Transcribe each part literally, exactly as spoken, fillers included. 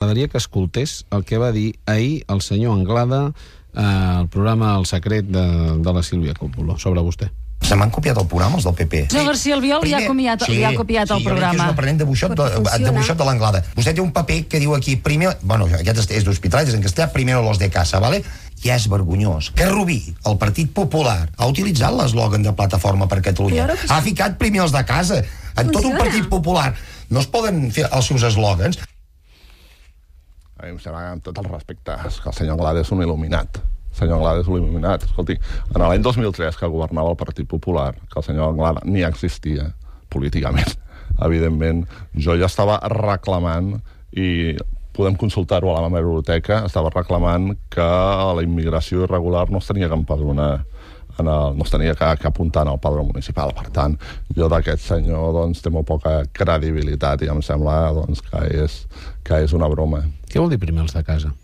M'agradaria que escoltés el que va dir ahir el senyor Anglada al programa El Secret de, de la Sílvia Coppola sobre vostè. Se m'han copiat el programa, els del P P. No, García Albiol li ha copiat, sí, li ha copiat sí, el programa. Sí, jo crec que és un aprenent de buixot de, de, buixot de l'Anglada. Vostè té un paper que diu aquí, primer... Bueno, aquest és d'Hospitalet, és en castellà, primero los de casa, ¿vale? I és vergonyós que Rubí, el Partit Popular, ha utilitzat l'eslògan de Plataforma per Catalunya. Ha ficat primer els de casa. En tot un Partit Popular no es poden fer els seus eslògans. A mi em sembla, amb tot el respecte, que el senyor Anglada és un il·luminat. El senyor Anglada és un il·luminat. Escolti, en l'any dos mil tres, que governava el Partit Popular, que el senyor Anglada ni existia políticament, evidentment, jo ja estava reclamant, i podem consultar-ho a la meva biblioteca, estava reclamant que la immigració irregular no es tenia que empadronar, en el, no es tenia que, que apuntar en el padró municipal. Per tant, jo d'aquest senyor doncs, té molt poca credibilitat i em sembla doncs, que, és, que és una broma. Què vol dir primer els de casa?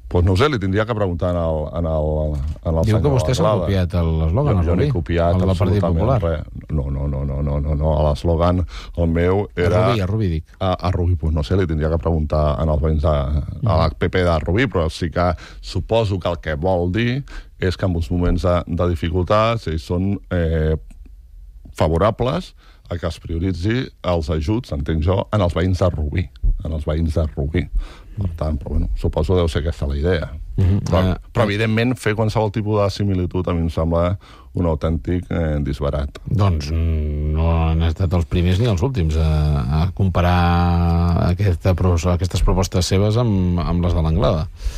Doncs no ho sé, li tindria que preguntar en el, en el, en el Diu senyor que vostè s'ha copiat l'eslògan, jo, jo n'he copiat el del Partit Popular. Res. No, no, no, no, no, no, no. L'eslògan, el meu era... A Rubí, a Rubí, dic. A, a Rubí, doncs no sé, li tindria que preguntar en els veïns de, a la P P de Rubí, però sí que suposo que el que vol dir és que en uns moments de, de dificultats ells són eh, favorables a que es prioritzi els ajuts, entenc jo, en els veïns de Rubí, en els veïns de Rubí. Per tant, però bueno, suposo que deu ser aquesta la idea. Mm-hmm. Però, uh, però, evidentment, fer qualsevol tipus de similitud a mi em sembla un autèntic eh, disbarat. Doncs no han estat els primers ni els últims a, a comparar aquesta, aquestes propostes seves amb, amb les de l'Anglada.